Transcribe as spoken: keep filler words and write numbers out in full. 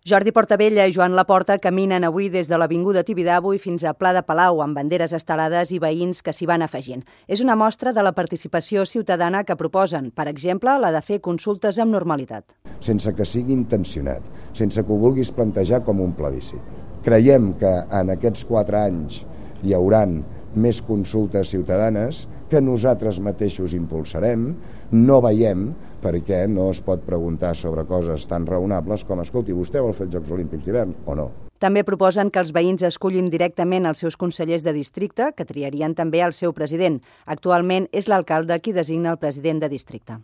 Jordi Portabella i Joan Laporta caminen avui des de l'Avinguda Tibidabo i fins a Pla de Palau, amb banderes estelades i veïns que s'hi van afegint. És una mostra de la participació ciutadana que proposen, per exemple, la de fer consultes amb normalitat. Sense que sigui intencionat, sense que ho vulguis plantejar com un plebiscit. Creiem que en aquests quatre anys hi hauran més consultes ciutadanes que nosaltres mateixos impulsarem. No veiem perquè no es pot preguntar sobre coses tan raonables com escolti, vostè vol fer els Jocs Olímpics d'hivern o no? També proposen que els veïns escullin directament els seus consellers de districte, que triarien també el seu president. Actualment és l'alcalde qui designa el president de districte.